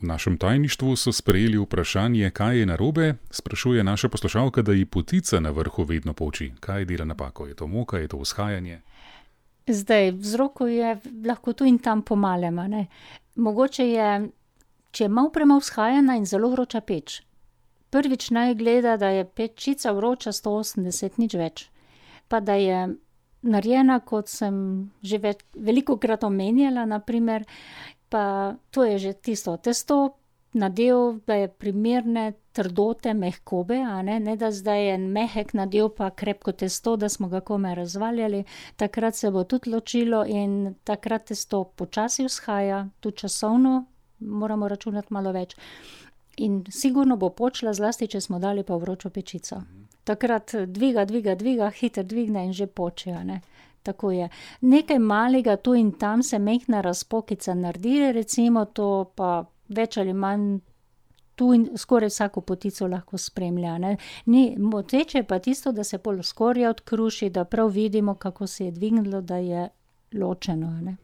V našem tajništvu so sprejeli vprašanje, kaj je narobe. Sprašuje naša poslušalka, da ji potica na vrhu vedno poči. Kaj dela napako? Je to moka, je to vzhajanje? Zdaj, vzrokov je lahko tu in tam po malem, a ne. Mogoče je, če je malo premalo vzhajana in zelo vroča peč. Prvič naj gleda, da je pečica vroča 180, nič več. Pa da je narejena, kot sem že velikokrat omenjala, na primer, pa to je že tisto testo, nadev, da je primerne trdote, mehkobe, a ne, ne da zdaj je mehek nadev pa krepko testo, da smo ga komaj razvaljali. Takrat se bo tudi ločilo in takrat testo počasi vzhaja, tudi časovno moramo računati malo več. In sigurno bo počila, zlasti če smo dali pa vročo pečico. Takrat dviga, hitro dvigne in že poči, a ne. Tako je. Nekaj malega tu in tam se majhna razpokica naredi, recimo to pa več ali manj tu in skoraj vsako potico lahko spremlja, ne. Moteče pa tisto, da se pol skorja odkruši, da prav vidimo, kako se je dvignilo, da je ločeno, a ne.